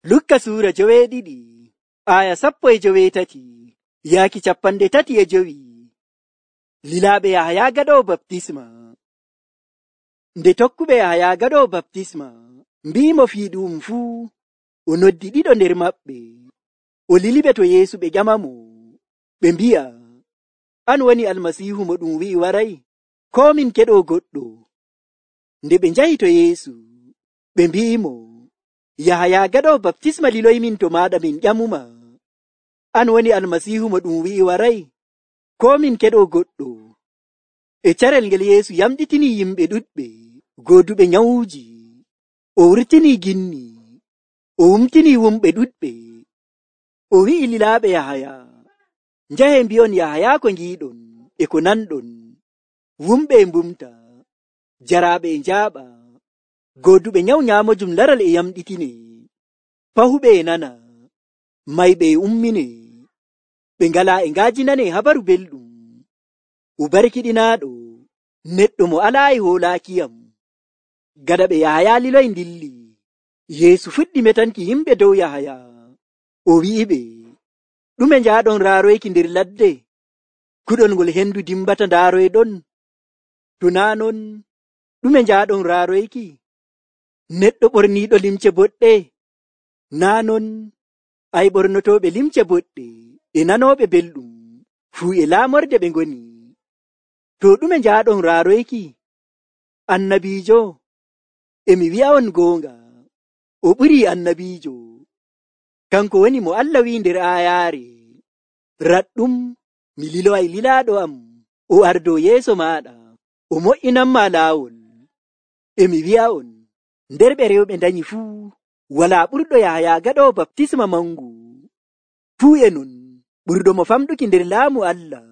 Lukka suura 12 aya 13 yaaki 35. Lilaaɓe Yahaya gaɗoowo baptisma. Nde tokkuɓe Yahaya gaɗoowo baptisma mbi'imo fii ɗum fuu, o noddi ɗiɗo nder maɓɓe, o liliɓe to Yeesu ɓe ƴamamo, ɓe mbi'a, an woni Almasiihu mo ɗum wi'i waray, koo min keɗoo goɗɗo? Nde ɓe njahi to Yeesu, ɓe mbi'imo, Yahaya gaɗoowo baptisma liloymin to maaɗa min ƴamuma, an woni Almasiihu mo ɗum wi'i waray, koo min keɗoo goɗɗo? E carel ngel Yeesu yamɗitinii yimɓe ɗuɗɓe gooduɓe nyawuuji, o wurtinii ginni, o wumtinii wumɓe ɗuɗɓe. O wi'i lilaaɓe Yahaya, njahe mbi'on Yahaya ko ngiiɗon e ko nanɗon, wumɓe e mbumta, jaraaɓe e njaaɓa, gooduɓe nyawu nyaamojum laral e yamɗitinee, pahuɓe e nana, mayɓe e umminee, ɓe ngalaa e ngaajinanee habaru belɗum, o barkiɗinaaɗo neɗɗo mo alaayi hoolaakiyam. Gaɗa ɓe Yahaya liloyi ndilli, Yeesu fuɗɗi metanki yimɓe dow Yahaya, o wi'iɓe, ɗume njaaɗon raaroyki nder ladde? Kuɗol ngol hendu dimbata ndaaroyɗon? To naa non, ɗume njaaɗon raaroyki? Neɗɗo ɓorniiɗo limce boɗɗe? Naa non, ay ɓornotooɓe limce boɗɗe e nanooɓe belɗum fuu e laamorde ɓe ngoni. To ɗume njaaɗon raaroyki? Annabiijo? Emi wi'a'on goonga, o ɓurii annabiijo. Kanko woni mo Allah wi'i nder aayaare, raɗɗum mi liloway lilaaɗo am, o ardoo yeeso maaɗa, o mo'inanma laawol. Emi wi'a'on, nder ɓe rewɓe ndanyi fuu, walaa ɓurɗo Yahaya gaɗoowo baptisma mangu. Fuu e non, ɓurɗo mo famɗuki nder laamu Allah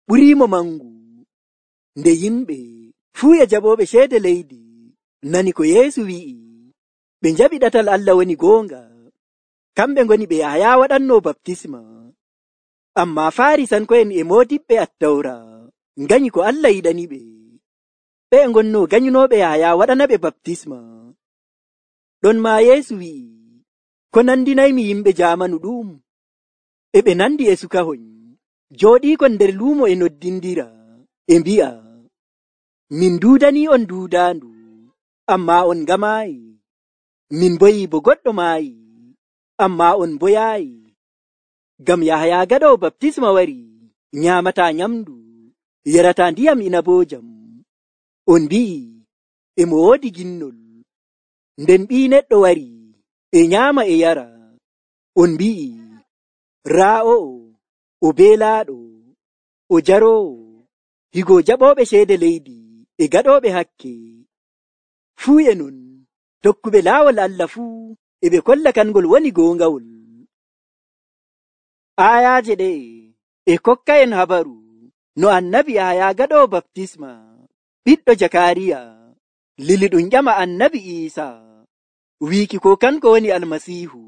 ɓuriimo mangu. Nde yimɓe fuu e jaɓooɓe ceede leydi nani ko Yeesu wi'i, ɓe njaɓi ɗatal Allah woni goonga, kamɓe ngoni ɓe Yahaya waɗanno baptisma. Ammaa Faarisanko'en e moodiɓɓe Attawra nganyi ko Allah yiɗaniɓe. Ɓe ngonno ganyunooɓe Yahaya waɗanaɓe baptisma. Ɗon maa Yeesu wi'i, ko nandinaymi yimɓe jaamanu ɗum? E ɓe nandi e sukahoy, jooɗiikon nder luumo e noddindira, e mbi'a, min duudanii on duudaandu, ammaa on ngamaayi. Min boyi bo goɗɗo maayi, ammaa on boyaayi. Ngam Yahaya gaɗoowo baptisma wari, nyaamataa nyamdu, yarataa ndiyam inaboojam. On mbi'i, emo woodi ginnol. Nden Ɓii Neɗɗo wari, e nyaama e yara. On mbi'i, raa o'o, o beelaaɗo, o jaroowo, higo jaɓooɓe ceede leydi e gaɗooɓe hakke. Fuu e non, tokkuɓe laawol Allah fuu e ɓe kolla kangol woni goongawol. Aayaaje ɗe e kokka'en habaru no annabi Yahaya gaɗoowo baptisma, ɓiɗɗo Jakaariya, lili ɗum ƴama annabi Iisa, wiiki ko kanko woni Almasiihu,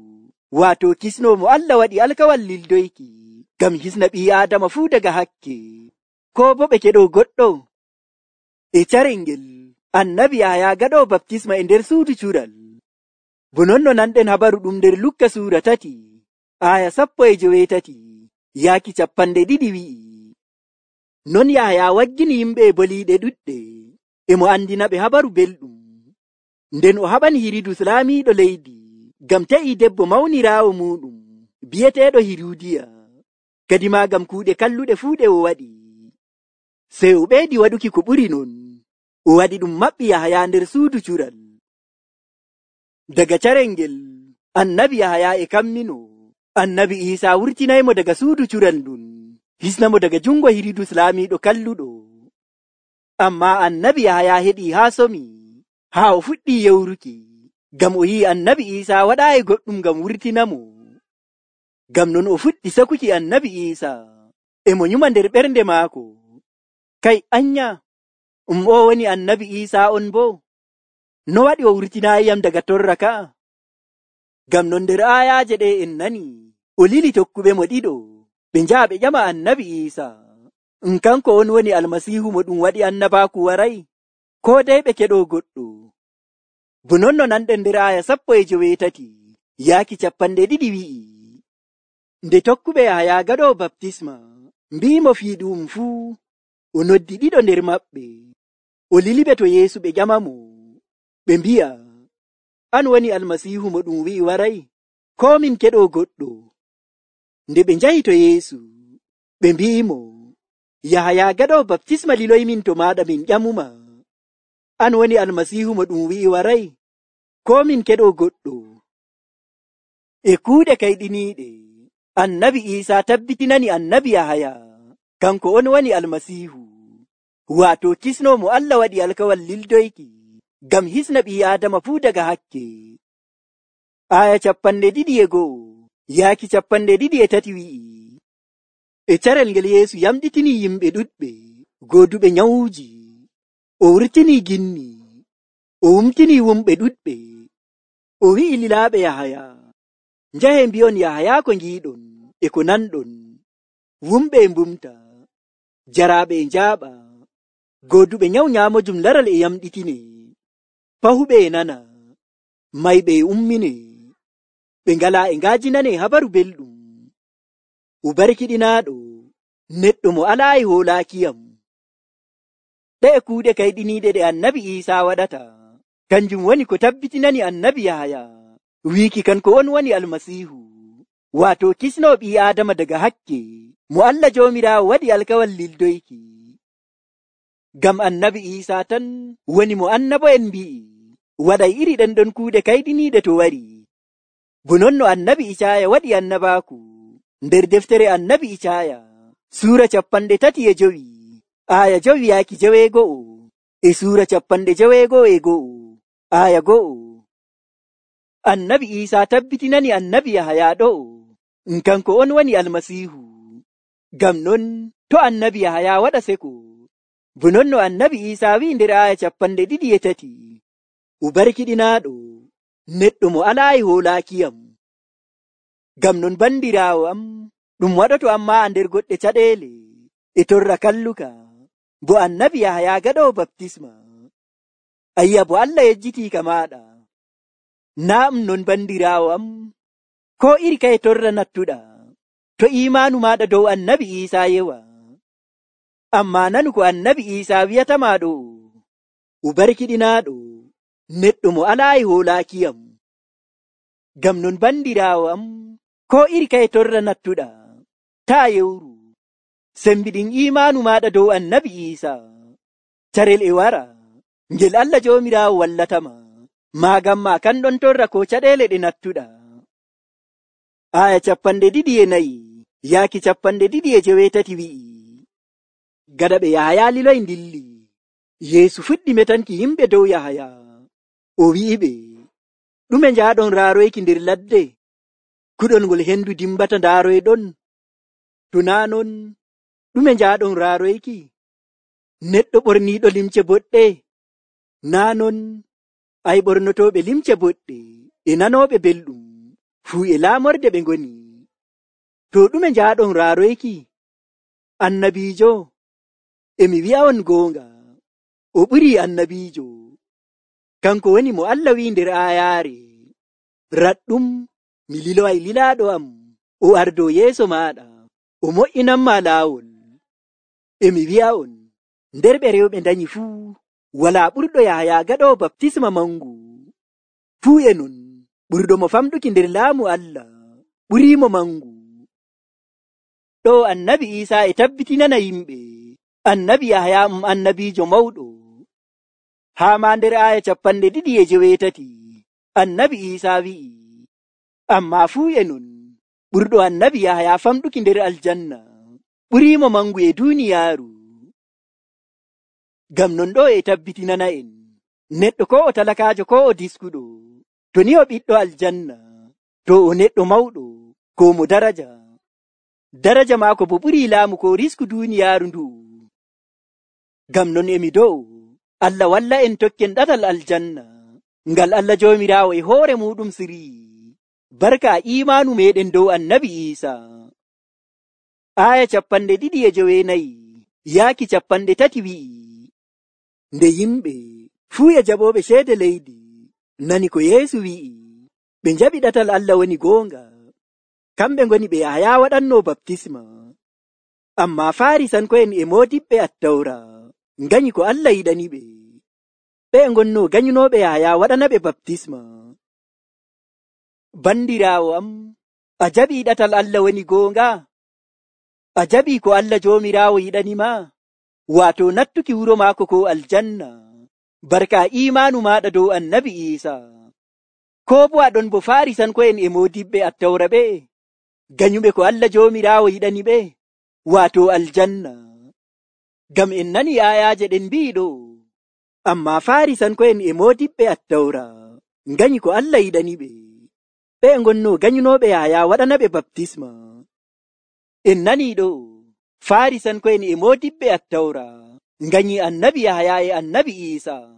waato kisno mo Allah waɗi alkawal lildoyki ngam hisna ɓii Aadama fuu daga hakke, ko bo ɓe keɗoo goɗɗo. E carel ngel annabi Yahaya gaɗoowo baptisma e nder suudu cural. Bo non no nanɗen habaru ɗum nder Lukka suura 3 aya 18 yaaki 20 wi'i, non Yahaya waggini yimɓe e boliiɗe ɗuɗɗe, e mo andina ɓe habaru belɗum. Nden o haɓani Hiridus laamiiɗo leydi, ngam ta'i debbo mawniraawo muɗum bi'eteeɗo Hirudiya, kadi maa ngam kuuɗe kalluɗe fuu ɗe o waɗi. Sey o ɓeydi waɗuki ko ɓuri non, o waɗi ɗum maɓɓi Yahaya nder suudu cural. Daga carel ngel annabi Yahaya e kammino, annabi Iisa wurtinaymo daga suudu cural ndun, hisnamo daga jungo Hiridus laamiiɗo kalluɗo. Ammaa annabi Yahaya heɗii haa somi, haa o fuɗɗii yewruki, ngam o yi'i annabi Iisa waɗaayi goɗɗum ngam wurtinamo. Ngam non o fuɗɗi sakuki annabi Iisa, e mo nyuma nder ɓernde maako, kay anya, o woni annabi Iisa on bo? No waɗi o wurtinaayiyam daga torra ka'a? Ngam non nder aayaaje ɗe en nani, o lili tokkuɓe mo ɗiɗo, ɓe njaha ɓe ƴama annabi Iisa, kanko on woni Almasiihu mo ɗum waɗi annabaaku waray, ko dai ɓe keɗoo goɗɗo? Bo non no nanɗen nder aya 18, yaaki 200 wi'i, nde tokkuɓe Yahaya gaɗoowo baptisma mbi'imo fii ɗum fuu, o noddi 2 nder maɓɓe, o liliɓe to Yeesu ɓe ƴamamo, ɓe mbi'a, an woni Almasiihu mo ɗum wi'i waray, koo min keɗoo goɗɗo? Nde ɓe njahi to Yeesu, ɓe mbi'imo, Yahaya gaɗoowo baptisma liloymin to maaɗa min ƴamuma, an woni Almasiihu mo ɗum wi'i waray, koo min keɗoo goɗɗo? E kuuɗe kayɗiniiɗe, Annabi Iisaa tabbitinani Annabi Yahaya kanko on woni Almasiihu, waato kisnoomo Allah waɗi alkawal lildoyki ngam hisna ɓii Aadama fuu daga hakke. Aya 21 yaaki 23 wi'i, e carel ngel Yeesu yamɗitinii yimɓe ɗuɗɓe gooduɓe nyawuuji, o wurtinii ginni, o wumtinii wumɓe ɗuɗɓe, o wi'i lilaaɓe Yahaya, njahe mbi'on Yahaya ko ngiiɗon e ko nanɗon, wumɓe e mbumta, jaraaɓe e njaaɓa, gooduɓe nyawu nyaamojum laral e yamɗitine, pahuɓe e nana, mayɓe e ummine, ɓe ngalaa e ngaajinane habaru belɗum, ubarkiɗinaaɗo neɗɗo mo alaayi hoolaakiyam. Ɗe'e kuuɗe kayɗiniiɗe ɗe Annabi Iisaa waɗata, kanjum woni ko tabbitinani Annabi Yahaya wiiki kanko on woni Almasiihu, waato kisnoo ɓii Aadama daga hakke mo Allah Joomiraawo waɗi alkawal lildoyki. Ngam Annabi Iisaa tan woni mo annabo'en mbi'i waɗay iri ɗenɗon kuuɗe kayɗiniiɗe to wari, bo non no Annabi Icaaya waɗi annabaaku nder deftere Annabi Icaaya suura 35 aya 5 yaaki 61 e suura 61 aya 1. Annabi Iisaa tabbitinani Annabi Yahaya ɗo'o kanko on woni Almasiihu. Ngam non to Annabi Yahaya waɗa seko, bo non no Annabi Iisaa wi'i nder aya 23, ubarkiɗinaaɗo neɗɗo mo alaayi hoolaakiyam. Ngam non bandiraawo am, ɗum waɗoto amma a nder goɗɗe caɗeele e torra kalluka, bo Annabi Yahaya gaɗoowo baptisma. Ayya bo Allah yejjitii ka maaɗa. Naa non bandiraawo am, ko iri kaye torra nattuɗa, to iimaanu maaɗa dow Annabi Iisaa yewa. Ammaa nanu ko Annabi Iisaa wi'atamaa ɗo, ubarkiɗinaaɗo neɗɗo mo alaayi hoolaakiyam. Ngam non bandiraawo am, ko iri kaye torra nattuɗa, taa yewru, sembiɗin iimaanu maaɗa dow Annabi Iisaa. Carel e wara, ngel Allah Joomiraawo wallatama, maagam ma kanɗon torra ko caɗeele ɗe nattuɗa. Aya 24 yaaki 25 wi'i, gaɗa ɓe Yahaya liloy ndilli, Yeesu fuɗɗi metanki yimɓe dow Yahaya, o wi'iɓe, ɗume njaaɗon raaroyki nder ladde, kuɗol ngol hendu dimbata ndaaroyɗon? To naa non, ɗume njaaɗon raaroyki? Neɗɗo ɓorniiɗo limce boɗɗe? Naa non, ay ɓornotooɓe limce boɗɗe e nanooɓe belɗum fuu e laamorde ɓe ngoni. To ɗume njaaɗon raaroyki? Annabiijo? Emi wi'a'on goonga, o ɓurii annabiijo. Kanko woni mo Allah wi'i nder aayaare, raɗɗum mi liloway lilaaɗo am, o ardo yeeso maaɗa, o mo'inanma laawol. Emi wi'a'on, nder ɓe rewɓe ndanyi fuu, walaa ɓurɗo Yahaya gaɗoowo baptisma mangu. Fuu e non, ɓurɗo mo famɗuki nder laamu Allah ɓuriimo mangu. Ɗo Annabi Iisaa e tabbitinana yimɓe Annabi Yahaya annabiijo mawɗo. Haa ma nder aya 28 Annabi Iisaa wi'i, ammaa fuu e non, ɓurɗo Annabi Yahaya famɗuki nder aljanna ɓuriimo mangu e duuniyaaru. Ngam non ɗo e tabbitinana en, neɗɗo ko o talakaajo ko o diskuɗo, to ni o ɓiɗɗo aljanna, to o neɗɗo mawɗo ko mo daraja. Daraja maako bo ɓurii laamu ko risku duuniyaaru ndu. Ngam non emi dow Allah walla en tokken ɗatal aljanna, ngal Allah Joomiraawo e hoore muɗum sirii, barka iimaanu meɗen dow Annabi Iisaa. Aya 29 yaaki 30 wi'i, nde yimɓe fuu e jaɓooɓe ceede leydi nani ko Yeesu wi'i, ɓe njaɓi ɗatal Allah woni goonga, kamɓe ngoni ɓe Yahaya waɗanno baptisma. Ammaa Farisanko'en e moodiɓɓe Attawra nganyi ko Allah yiɗaniɓe. Ɓe ngonno ganyunooɓe Yahaya waɗanaɓe baptisma. Bandiraawo am, a jaɓii ɗatal Allah woni goonga? A jaɓii ko Allah Joomiraawo yiɗanima, waato nattuki wuro maako ko aljanna, barka iimaanu maaɗa dow Annabi Iisaa. Koo bo aɗon bo Farisanko'en e moodiɓɓe Attawra ɓe, ganyuɓe ko Allah Joomiraawo yiɗaniɓe, waato aljanna. Ngam en nani aayaaje ɗen mbi'i ɗo, ammaa Farisanko'en e moodiɓɓe Attawra nganyi ko Allah yiɗaniɓe. Ɓe ngonno ganyunooɓe Yahaya waɗanaɓe baptisma. En nanii ɗo, Farisanko'en e moodiɓɓe Attawra nganyi Annabi Yahaya e Annabi Iisaa.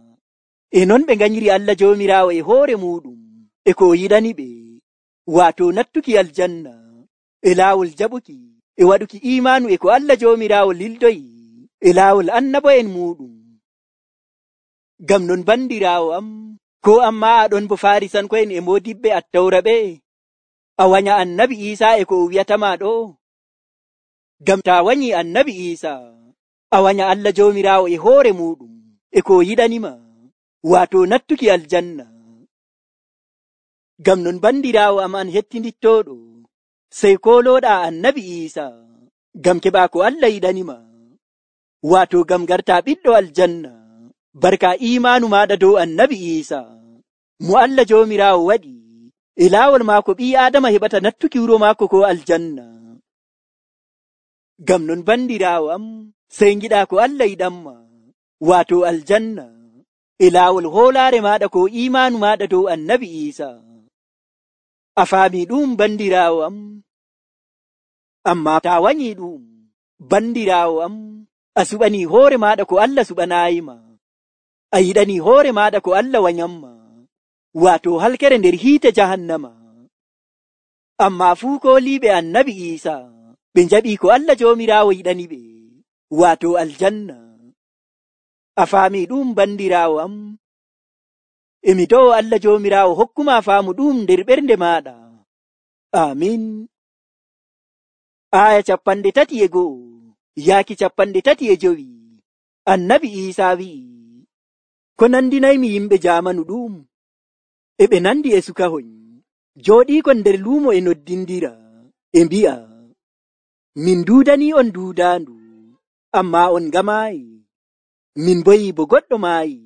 E non ɓe nganyiri Allah Joomiraawo e hoore muuɗum e ko o yiɗaniɓe, waato nattuki aljanna e laawol jaɓuki e waɗuki iimaanu e ko Allah Joomiraawo lildoyi e laawol annabo'en muuɗum. Ngam non bandiraawo am, ko amma aɗon bo Farisanko'en e moodiɓɓe Attawra ɓe, a wanya Annabi Iisaa e ko o wi'atama ɗo. Ngam taa wanyi Annabi Iisaa, a wanya Allah Joomiraawo e hoore muuɗum e ko o yiɗanima, waato nattuki aljanna. Ngam non bandiraawo am an hettindittooɗo, sey koolooɗaa Annabi Iisaa, ngam keɓaa ko Allah yiɗanima, waato ngam gartaa ɓiɗɗo aljanna, barka iimaanu maaɗa dow Annabi Iisaa, mo Allah Joomiraawo waɗi e laawol maako ɓii Aadama heɓata nattuki wuro maako ko aljanna. Ngam non bandiraawo am, sey ngiɗaa ko Allah yiɗanma, waato aljanna, e laawol hoolaare maaɗa ko iimaanu maaɗa dow Annabi Iisaa. A faamii ɗum bandiraawo am? Ammaa taa wanyii ɗum, bandiraawo am, a suɓanii hoore maaɗa ko Allah suɓanaayima. A yiɗanii hoore maaɗa ko Allah wanyamma, waato halkere nder hiite jahannama. Ammaa fuu kooliiɓe Annabi Iisaa, ɓe njaɓii ko Allah Joomiraawo yiɗaniɓe, waato aljanna. A faamii ɗum bandiraawo am? Emi do'o Allah Joomiraawo hokkuma faamu ɗum nder ɓernde maaɗa. Amin. Aya 31 yaaki 35. Annabi Iisaa wi'i, ko nandinaymi yimɓe jaamanu ɗum? E ɓe nandi e sukahoy, jooɗiikon nder luumo e noddindira, e mbi'a, min duudanii on duudaandu, ammaa on ngamaayi. Min boyi bo goɗɗo maayi,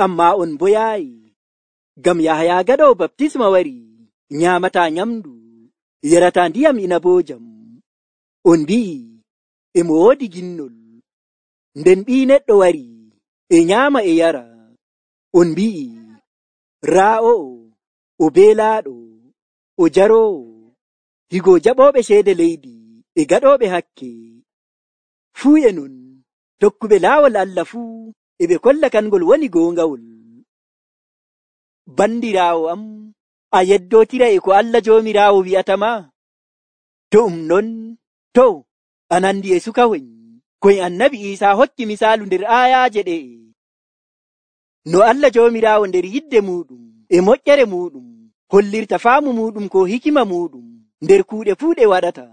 ammaa on boyaayi. Ngam Yahaya gaɗoowo baptisma wari, nyaamataa nyamdu, yarataa ndiyam inaboojam. On mbi'i, emo woodi ginnol. Nden Ɓii Neɗɗo wari, e nyaama e yara. On mbi'i, raa o'o, o beelaaɗo, o jaroowo, higo jaɓooɓe ceede leydi e gaɗooɓe hakke. Fuu e non, tokkuɓe laawol Allah fuu, e ɓe kolla kangol woni goongawol. Bandiraawo am, a yeddootiray e ko Allah Joomiraawo wi'atama? To non, to, a nandi e sukahoy, koye Annabi Iisaa hokki misaalu nder aayaaje ɗe. No Allah Joomiraawo nder yidde muuɗum e moƴƴere muuɗum hollirta faamu muuɗum ko hikima muuɗum nder kuuɗe fuu ɗe waɗata.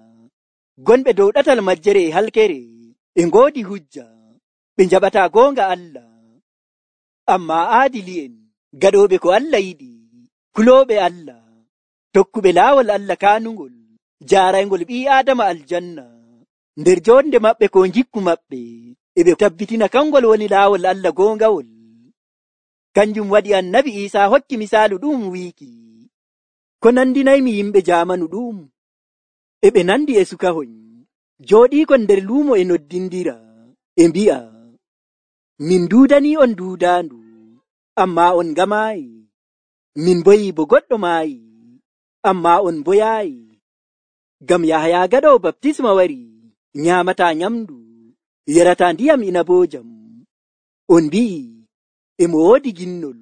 Gonɓe dow ɗatal majjere e halkere e ngoodi hujja, ɓe njaɓataa goonga Allah. Ammaa aadili'en, gaɗooɓe ko Allah yiɗi, kulooɓe Allah, tokkuɓe laawol Allah kaanungol, jaaraygol ɓii Aadama aljanna, nder jonde maɓɓe ko ngikku maɓɓe, e ɓe tabbitina kangol woni laawol Allah goongawol. Kanjum waɗi Annabi Iisaa hokki misaalu ɗum wiiki, ko nandinaymi yimɓe jaamanu ɗum? E ɓe nandi e sukahoy, jooɗiikon nder luumo e noddindira, e mbi'a, min duudanii on duudaandu, ammaa on ngamaayi. Min boyi bo goɗɗo maayi, ammaa on boyaayi. Ngam Yahaya gaɗoowo baptisma wari, nyaamataa nyamdu, yarataa ndiyam inaboojam. On mbi'i, emo woodi ginnol.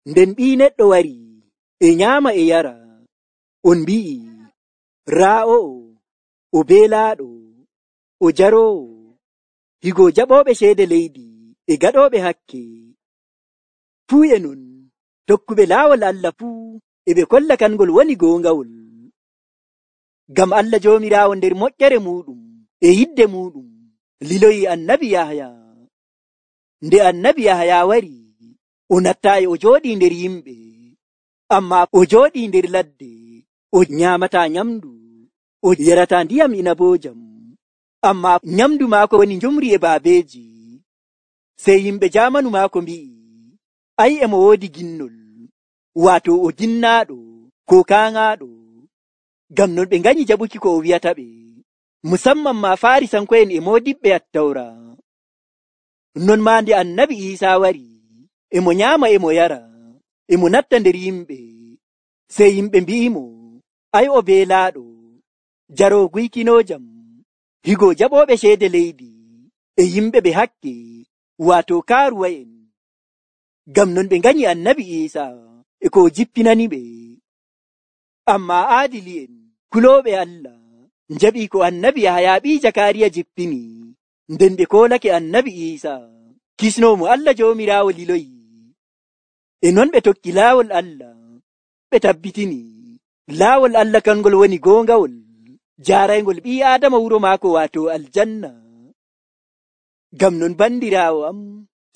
Nden Ɓii Neɗɗo wari, e nyaama e yara. On mbi'i, raa o'o, o beelaaɗo, o jaroowo, higo jaɓooɓe ceede leydi e gaɗooɓe hakke. Fuu e non, tokkuɓe laawol Allah fuu, e ɓe kolla kangol woni goongawol. Ngam Allah Joomiraawo nder moƴƴere muɗum e yidde muɗum liloyi annabi Yahaya. Nde annabi Yahaya wari, o nattaayi o jooɗii nder yimɓe, ammaa o jooɗii nder ladde, o nyaamataa nyamdu, o yarataa ndiyam inaboojam, ammaa nyamdu maako woni njumri e baabeeji. Sey yimɓe jaamanu maako mbi'i, ai emo woodi ginnol, waato o ginnaaɗo ko kaaŋaaɗo. Ngam non ɓe nganyi jaɓuki ko o wi'ata ɓe, musamman ma Faarisanko'en e moodiɓɓe Attawra. Non maa nde annabi Iisaa wari, emo nyaama emo yara, emo natta nder yimɓe. Sey yimɓe mbi'imo, ai o beelaaɗo, jaroo guykinoojam, higo jaɓooɓe ceede leydi, e yimɓe ɓe hakke, waato kaaruwa'en. Ngam non ɓe nganyi annabi Iisaa e ko o jippinani ɓe. Ammaa aadili'en kulooɓe Allah njaɓii ko annabi Yahaya ɓii Jakaariya jippini, nden ɓe koolake annabi Iisaa kisnoomo Allah Joomiraawo liloyi. E non ɓe tokki laawol Allah, ɓe tabbitini laawol Allah kangol woni goongawol, jaaraygol ɓii Aadama wuro maako waato aljanna. Ngam non bandiraawo am,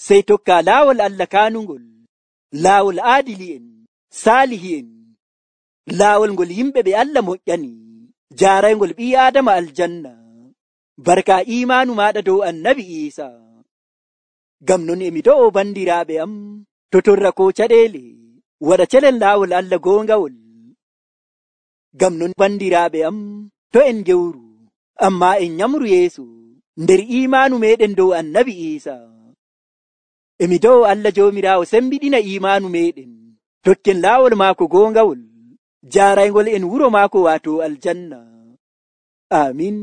sey tokka laawol Allah kaanungol, laawol aadili'en, saalihi'en, laawol ngol yimɓe ɓe Allah moƴƴani, jaaraygol ɓii Aadama aljanna, barka imaanu maaɗa dow annabi Iisaa. Ngam non emi do'o bandiraaɓe am, to torra ko caɗeele, waɗa celen laawol Allah goongawol. Ngam non bandiraaɓe am, to en gewru, ammaa en nyamru yeeso nder imaanu meɗen dow annabi Iisaa. Emi do'o Allah Joomiraawo sembiɗina imaanu meɗen, tokken laawol maako goongawol, jaaraygol en wuro maako waato aljanna. Amin.